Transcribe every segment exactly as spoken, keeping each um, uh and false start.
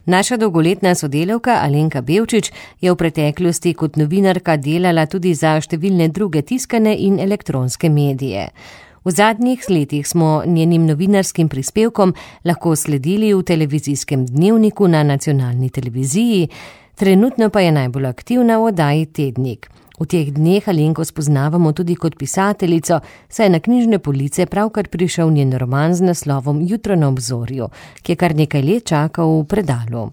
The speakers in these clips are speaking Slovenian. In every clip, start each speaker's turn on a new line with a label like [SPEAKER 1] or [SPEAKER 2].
[SPEAKER 1] Naša dolgoletna sodelavka Alenka Bevčič je v preteklosti kot novinarka delala tudi za številne druge tiskane in elektronske medije. V zadnjih letih smo njenim novinarskim prispevkom lahko sledili v televizijskem dnevniku na nacionalni televiziji, trenutno pa je najbolj aktivna v oddaji Tednik. V teh dneh Alenko spoznavamo tudi kot pisateljico, saj je na knjižne police pravkar prišel njen roman z naslovom Jutro na obzorju, ki je kar nekaj let čakal v predalu.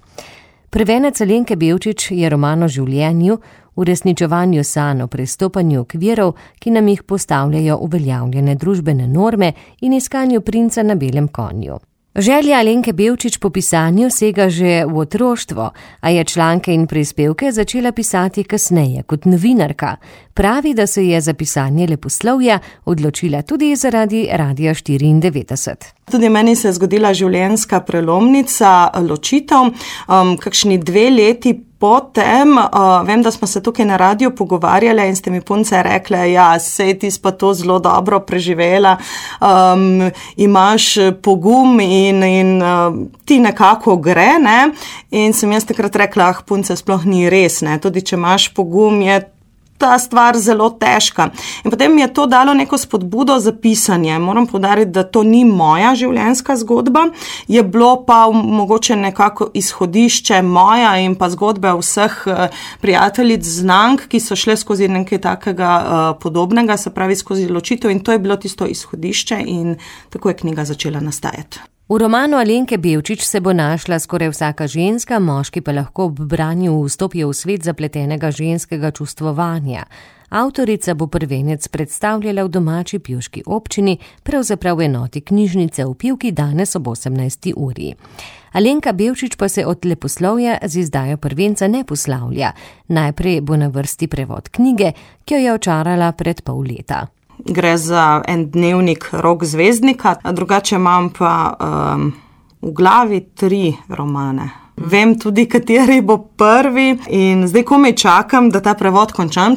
[SPEAKER 1] Prvenec Alenke Bevčič je roman o življenju, uresničevanju sanj, o prestopanju okvirov, ki nam jih postavljajo uveljavljene družbene norme in iskanju princa na belem konju. Želja Alenke Bevčič po pisanju sega že v otroštvo, a je članke in prispevke začela pisati kasneje kot novinarka. Pravi, da se je za pisanje leposlovja odločila tudi zaradi Radia štiriindevetdeset.
[SPEAKER 2] Tudi meni se je zgodila življenjska prelomnica, ločitev, um, kakšni dve leti potem, uh, vem, da smo se tukaj na radiju pogovarjali in ste mi punce rekle, ja, sej ti pa to zelo dobro preživela, um, imaš pogum in, in uh, ti nekako gre, ne? In sem jaz takrat rekla, ah, punce, sploh ni res, ne? Tudi če imaš pogum, je ta stvar zelo težka. In potem mi je to dalo neko spodbudo za pisanje. Moram poudariti, da to ni moja življenjska zgodba, je bilo pa mogoče nekako izhodišče moja in pa zgodbe vseh prijateljic, znank, ki so šle skozi nekaj takega uh, podobnega, se pravi skozi ločitev, in to je bilo tisto izhodišče in tako je knjiga začela nastajati.
[SPEAKER 1] V romanu Alenke Bevčič se bo našla skoraj vsaka ženska, moški pa lahko ob branju vstopijo v svet zapletenega ženskega čustvovanja. Avtorica bo prvenec predstavljala v domači pivški občini, pravzaprav v enoti knjižnice v Pivki danes ob osemnajsti uri. Alenka Bevčič pa se od leposlovja z izdajo prvenca ne poslavlja. Najprej bo na vrsti prevod knjige, ki jo je očarala pred pol leta.
[SPEAKER 2] Gre za en dnevnik Rok zvezdnika, drugače imam pa um, v glavi tri romane. Vem tudi, kateri bo prvi in zdaj komaj čakam, da ta prevod končam.